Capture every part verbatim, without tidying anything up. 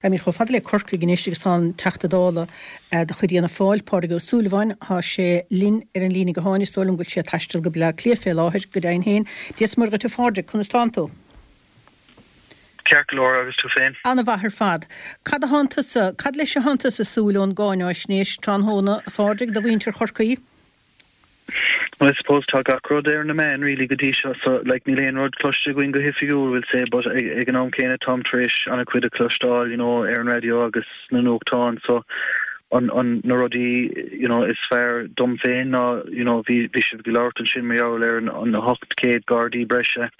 Táimid chomh fada le Corcaigh anois agus tá an Teachta Dála de chuid Fhianna Fáil, Pádraig Ó Súilleabháin, tá sé linn ar an líne gutháin. Is dóigh liom go bhfuil sé ag taisteal go Baile Átha Cliath fé láthair, go deimhin féin. Dia is Muire dhuit a Phádraig, conas tánn tú? Ceart go leor, agus tú féin? Ana-mhaith ar fad. Cad a thánn tusa, cad leis a thánn tusa ag súil ón gcáináisnéis tráthnóna, a Phádraig, do mhuintir Chorcaí? Well I suppose tá gach rud ar na meáin really go dtí seo so like níl aon rud cloiste againn go hoifigiúil we'll say but ag, ag an am céanna táim tar éis an-chuid a chloisteáil you know ar an raidió agus na nuachtáin so an, an na rudaí you know is fearr dom féin ná you know bhí bhí sibh ag labhairt ansin mar gheall ar an, an hocht céad gardaí breise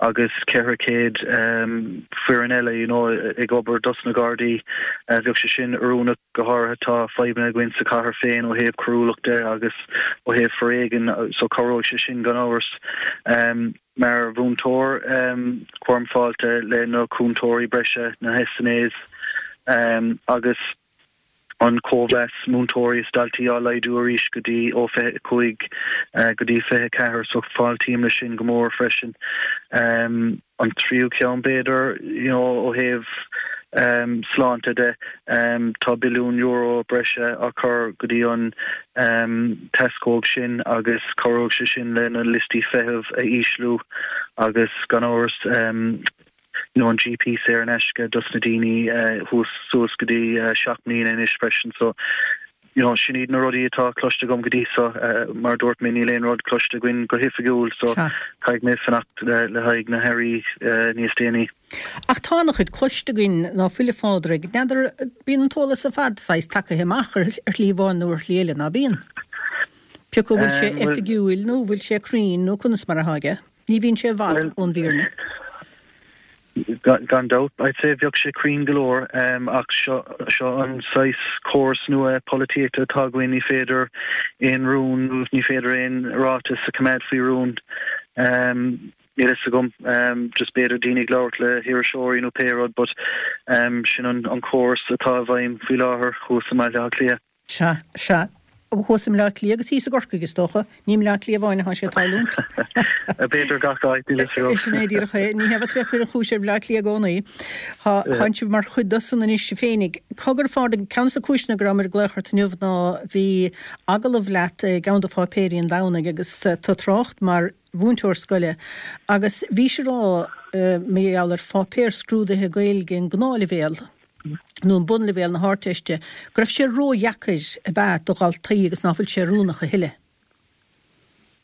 agus ceithre chéad um, foireann eile you know ag obair dos na gardaí uh, bheadh sé sin oiriúnach go háirithe tá fadhbanna againn sa chathair féin ó thaobh coiriúlachta agus ó thaobh foréigean so cabhróidh sé sin gan amhras um, mar mhúinteoir um, cuirim fáilte le na cúntóirí breise na SNAs um, agus an cóimheas múinteoirí is daltaí á laghdú arís go dtí ó fiche cúig go dtí fiche ceathair so fáiltím leis sin go mór freisin. Um, an tríú ceann b'fhéidir you know, ó thaobh um, sláinte de um, tá billiún euro breise á chur go dtí an um, tescóg sin agus cabhróidh sé sin le na liostaí feithimh a ísliú agus gan amhras um, you know, an GP saor in aisce dos na daoine uh, thuas suas go dtí uh, seacht mbliana anois freisin so you know, sin iad na rudaí atá cloiste agam go dtí seo uh, mar dúirt mé níl aon rud cloiste againn go hoifigiúil so caithfidh mé fanacht le, le haghaidh na hairí uh, níos déanaí. Ach tá an-chuid cloiste againn ná fuil a Phádraig, n'fheadar bíonn an t-eolas ar fad saghas tagaithe amach ar ar shlí amháin nó ar shlí eile ná bíonn. Pé acu bhfuil sé oifigiúil nó bhfuil sé cruinn nó conas mar atá aige. Ní bhíonn sé i bhfad ón bhfírinne. Gan dabht, I'd say bheadh sé cruinn go leor um, ach seo seo an saghas córas nua polaitíochta atá againn ní féidir aon rún nó ní féidir aon ráiteas a choimeád faoi rún. Um, Níl fhios agam um, just b'fhéidir daoine ag labhairt le hiriseoirí nó pé rud, but um, sin an, an córas atá i bhfeidhm faoi láthair thuas i mBaile Átha Cliath. Sea, sea. Thuas i mBaile Átha Cliath agus thíos i gCorcaigh is dócha. Ní i mBaile Átha Cliath amháin atá sé ag tarlúint. B'fhéidir gach áit, níl fhios agam. Sin é díreach é. Ní hea bheas bheith ag cur an chúis ar Bhaile Átha Cliath i gcónaí. Tá tánn sibh mar chuid de san anois féinig. Cogar a Phádraig, ceann de na cúiseanna go rabhamar ag glaoch ort inniu ná bhí agallamh leat i gceann de pháipéirí an Domhnaigh agus tú ag trácht mar mhúinteoir scoile agus bhís ag rá mar gheall ar pháipéar scrúdaithe Gaeilge an gnáthleibhéal nó an bunleibhéal na hArdteiste, go raibh sé ródheacair ab ea do dhaltaí agus ná fuil sé oiriúnach a thuilleadh.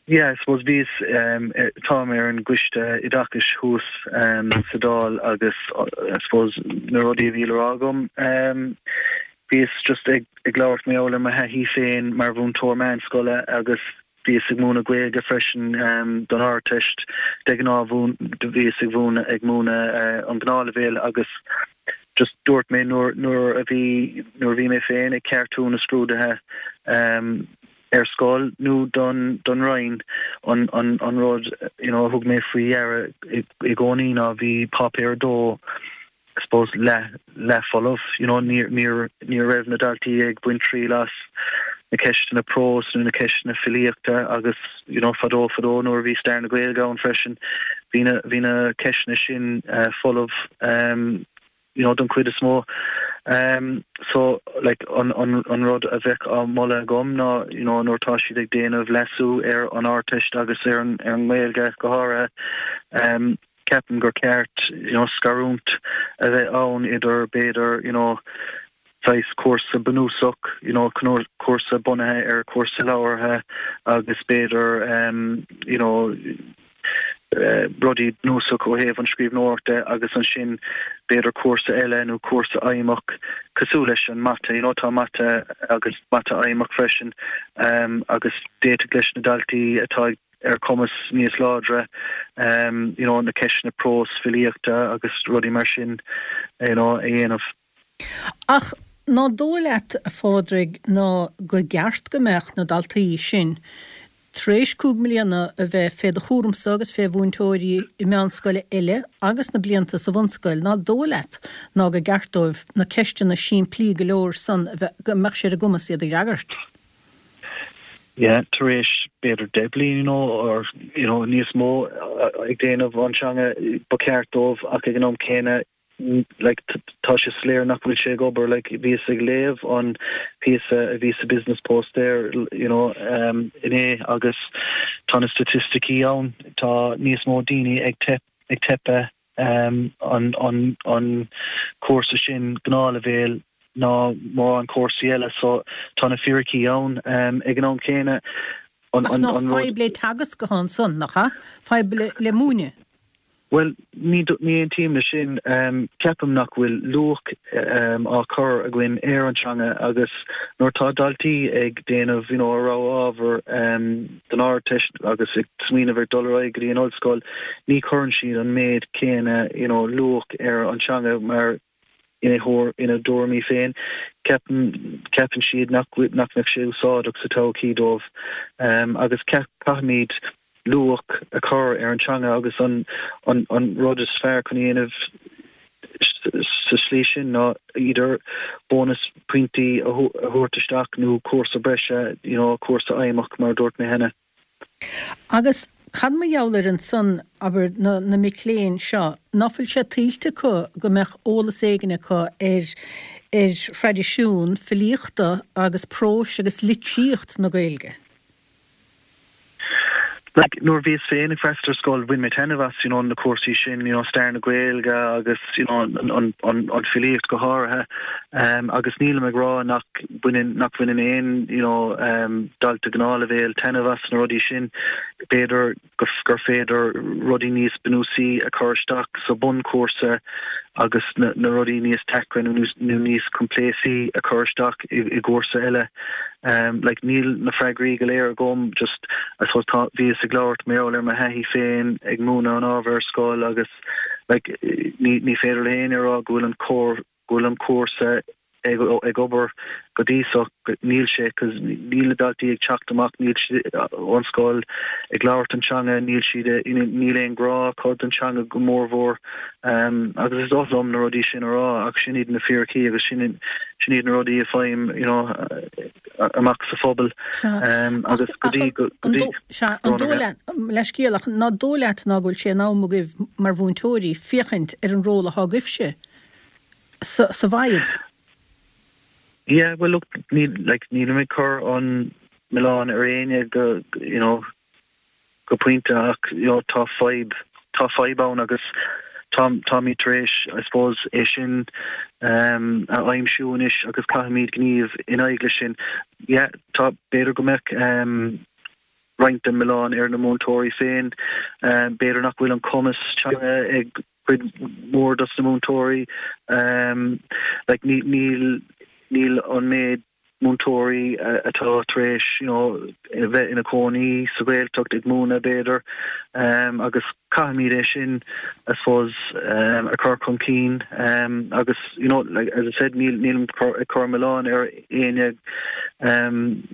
Yeah, I suppose bhíos um, táim ar an gcoiste oideachais thuas um, sa Dáil agus I suppose na rudaí a bhí le rá agam um, bhíos just ag, ag labhairt mar gheall ar mo thaithí féin mar mhúinteoir meánscoile agus bhíos ag múineadh Gaeilge freisin um, don Ardteist de ghnáth bhíos ag mhúineadh ag múineadh uh, an gnáthleibhéal agus just dúirt mé nuair nuair a bhí nuair a bhí mé féin ag ceartú na scrúduithe um, ar scoil nó don don Roinn an an an rud you know thug mé faoi deara i i gcónaí ná bhí páipéar dó I suppose le le folamh you know ní ní ní raibh na daltaí ag baint triail as na ceisteanna próis nó na ceisteanna filíochta agus you know fadó fadó nuair a bhí stair na Gaeilge ann freisin bhí na bhí na ceisteanna sin uh, folamh um, you know don chuid is mó um so like an an an rud a bheadh á mholadh agam ná you know nuair tá siad ag déanamh leasú ar an Ardteist agus ar an ar an nGaeilge go háirithe um ceapaim gur ceart you know scarúint a bheith ann idir b'fhéidir you know saghas cúrsa bunúsach you know cúrsa bunaithe ar cúrsa labhartha agus b'fhéidir um you know uh, rudaí bunúsach ó thaobh an scríbhneoireachta agus ansin b'fhéidir cúrsa eile nó cúrsa aidhmeach cosúil leis an mata you know tá mata agus mata aidhmeach freisin um, agus d'fhéadfadh leis na daltaí atá ar cumas níos láidre um, you know, na ceisteanna próis filíochta agus rudaí mar sin you know, a dhéanamh. Ach ná dóigh leat a Phádraig ná go gceart go mbeadh na daltaí sin tar éis cúig mbliana a bheith fé do chúramsa agus fé mhúinteoirí i meánscoile eile agus na blianta sa bhunscoil, ná dóigh leat ná go gceart dóibh na ceisteanna simplí go leor san a bheith go mbeadh sé ar a gcumas iad a fhreagairt? Yeah, tar éis b'fhéidir deich bliain you know, or you know, níos mó ag déanamh an teanga ba cheart dóibh ach ag an am céanna like tá sé soiléir nach bhfuil sé ag obair like bhíos ag léamh an píosa a bhí sa Business Post there you know um inné agus tá na staitisticí ann tá níos mó daoine ag teip ag teipeadh um an an an cúrsa sin gnáthleibhéal ná mórán cúrsaí eile so tá na fíricí ann um ag an am céanna an an an fadhb le teagasc go han-son nach ea fadhb le le múineadh Well ní ní aontaím leis sin um, ceapaim nach bhfuil luach um, á chur againn ar an teanga agus nuair tá daltaí ag déanamh you know, a rogha ábhar um, don Ardteist agus ag smaoineamh ar dul ar aghaidh go dtí an ollscoil, ní chuireann siad an méid céanna you know, luach ar an teanga mar ina thuar ina dtuairimí féin ceapann ceapann siad nach nach mbeadh sé úsáideach sa todhchaí dóibh um, agus caithfimid luach a chur ar an teanga agus an an an rud is fearr chun dhéanamh sa slí sin ná idir bónas pointí a thabhairt isteach nó cúrsa breise you know, cúrsa aidhmeach mar dúirt mé cheana. Agus cad mar gheall ar ansan abair na, na mic léinn seo, ná fuil sé tuillte acu go mbeadh eolas éigin acu ar ar thraidisiún filíochta agus próis agus litríocht na Gaeilge? Like nuair bhíos féin ag freastal ar scoil bhain mé taitneamh as you know, na cúrsaí sin you know, stair na Gaeilge agus you know, an, an, an, an filíocht go háirithe um, agus nílim ag rá nach bhaineann nach bhaineann aon you know, um, dalta gnáthleibhéal taitneamh as na rudaí sin b'fhéidir gur féidir rudaí níos bunúsaí a chur isteach sa bunchúrsa agus na, na rudaí níos deacra nó nó níos coimpléasaí a chur isteach i, i gcúrsa eile. Um, like níl na freagraí go léir agam just I suppose tá bhíos ag labhairt mar gheall ar mo thaithí féin ag múineadh an ábhar ar scoil agus like ní ní féidir le héinne rá go bhfuil an cór go bhfuil an cúrsa ag ag obair go dtí so níl sé cos níl na daltaí ag teacht amach níl ón scoil ag labhairt an teanga níl siad níl aon grá acu don teanga go mórmhór um, agus is oth liom na rudaí sin a rá ach sin iad na fíricí agus sin sin iad na rudaí a fhaighim you know, amach sa phobal um, agus go dtí go dtí an dóigh leat ná dóigh leat ná go bhfuil sé in am agaibh mar mhúinteoirí féachaint ar an ról atá agaibhse sa sa bhfadhb. Yeah, well look ní like nílim ag cur an milleán ar éinne go you know go pointe ach you know, tá fadhb tá fadhb ann agus tá táimid tar éis I suppose é sin um, a aimsiú anois agus caithfimid gníomh in aghaidh leis sin. Yeah, tá b'fhéidir go mbeadh um, roinnt den milleán ar na múinteoirí féin um, b'fhéidir nach bhfuil an cumas teanga ag cuid mhór dos na múinteoirí um, like ní níl níl an méid múinteoirí atá tar éis you know, bheith ina cónaí sa Ghaeltacht ag múineadh b'fhéidir um, agus caithfimid é sin I suppose um, a chur chun cinn um, agus you know, like, as I said níl nílim ag cur milleán ar éinne um,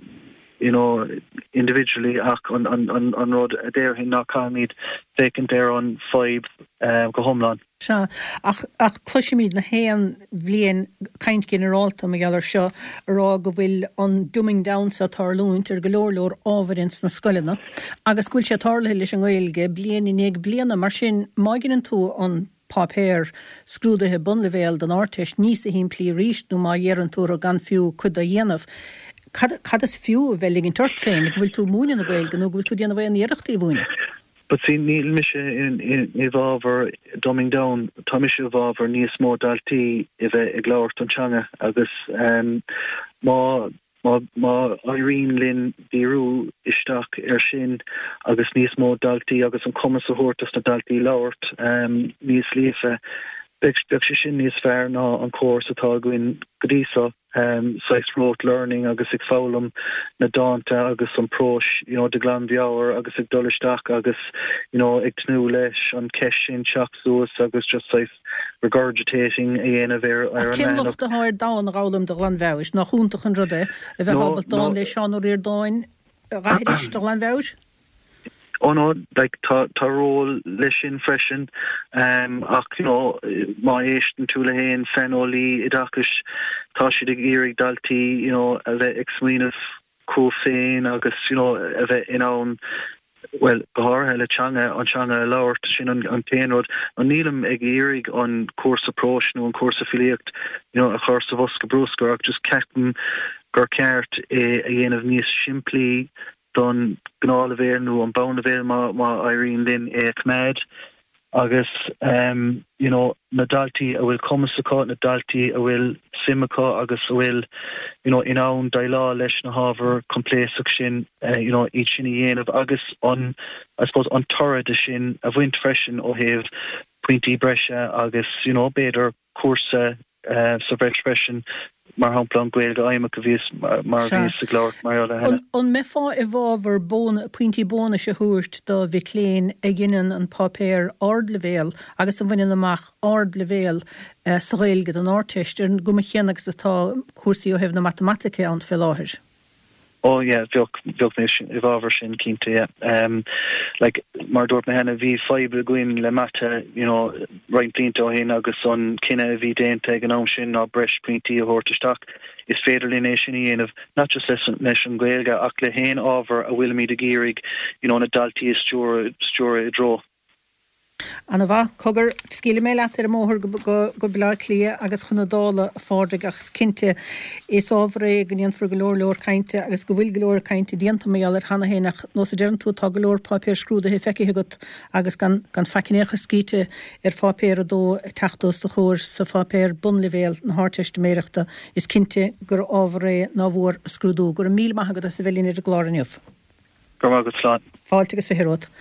you know, individually ach an, an, an, an rud a déarfainn ná caithfimid féachaint ar an fadhb um, go hiomlán. Sea, ach, ach cloisimid na haon bhliain caint ginearálta mar gheall air seo a rá go bhfuil an dumbing down seo ag tarlúint ar go leor leor ábhair ins na scoileanna agus go bhfuil sé tarlaithe leis an nGaeilge bliain i ndiaidh bliana mar sin má dhéanann tú an páipéar scrúdaithe bunleibhéal don Ardteist níos simplí arís nó má iarrann tú gan fiú cuid a dhéanamh. Cad, cad is fiú a bheith ligint ort féin go bhfuil tú ag múineadh na Gaeilge nó go bhfuil tú ag déanamh aon iarracht í a mhúineadh? But see, níl mise in, in, i bhfabhar dumbing down, tá mise i bhfabhar níos mó daltaí a bheith ag labhairt an teanga agus um, má má má éiríonn linn díriú isteach ar sin agus níos mó daltaí agus an cumas a thabhairt dos na daltaí labhairt um, níos líofa, beidh beidh sé sin níos fearr ná an córas atá againn go dtí so. Um, saghas rote learning agus ag foghlaim na dánta agus an próis you know, de ghlanmheabhair agus ag dul isteach agus you know, ag tnúth leis an cheist sin teacht suas agus just saghas regurgitating a dhéanamh ar ar an Cén locht atá ar dán a fhoghlaim de ghlanmheabhair nach iontach an rud é a bheith ábalta dán le Seán Ó Ríordáin a aithris de ghlanmheabhair? Oh no, like tá tá ról leis sin freisin um, ach you know, má éisteann tú le haon saineolaí oideachais tá siad ag iarraidh daltaí you know, a bheith ag smaoineamh chucu féin agus you know, a bheith in ann Well, go háirithe le teanga, an teanga a labhairt, sin an an t-aon rud. An nílim ag iarraidh an cúrsa próis nó an cúrsa filíocht you know, a chur sa bhosca bruscair ach just ceapaim gur ceart é a dhéanamh níos simplí don gnáthleibhéal nó an bonnleibhéal má má éiríonn linn é a choimeád. Agus um, you know, na daltaí a bhfuil cumas acu, na daltaí a bhfuil suim acu agus a bhfuil you know, in ann déileáil leis na hábhair coimpléasc sin uh, you know, iad sin a dhéanamh agus an I suppose an toradh de sin a bhaint freisin ó thaobh pointí breise agus you know, b'fhéidir cúrsa uh, sa bhreis freisin mar shampla an Ghaeilge Fheidhmeach a bhíos mar a bhíos ag labhairt mar gheall air cheana. An mbeifeá i bhfabhar pointí bónais a thabhairt do mhic léinn a dhéanann an páipéar ardleibhéal agus a bhaineann amach ardleibhéal sa Ghaeilge don Ardteist, ar an gcuma chéanna agus atá cúrsaí ó thaobh na matamaitice ann fé láthair? Oh yeah, bheadh bheadh mé i bhfabhar sin cinnte yeah. Um, like mar dúirt mé cheana bhí fadhb againn le mata you know, roinnt blianta ó shin agus an cinneadh a bhí déanta ag an am sin ná breis pointí a thabhairt isteach. Is féidir linn é sin a dhéanamh not just leis leis an Ghaeilge ach le haon ábhar a bhfuilimid ag iarraidh you know, na daltaí a stiúradh stiúradh i dtreo. Ana-mhaith. Cogar, scaoilfidh mé leat ar an mbóthar go Baile Átha Cliath agus chun na Dála, a Phádraig, ach is cinnte, is ábhar é go ndéanfar go leor leor cainte agus go bhfuil go leor cainte déanta mar gheall air cheana féin ach nós a deireann tú, tá go leor páipéir scrúdaithe feicthe agat agus gan gan faic in aon chor scríte ar pháipéar a dó ag teacht os do chomhair sa pháipéar bonnleibhéal na hArdteistiméireachta, is cinnte gur ábhar é nár mhór a scrúdú. Go raibh míle maith agat as a bheith linn ar an gclár inniu. Go raibh maith agat, slán. Fáilte agus fiche romhat.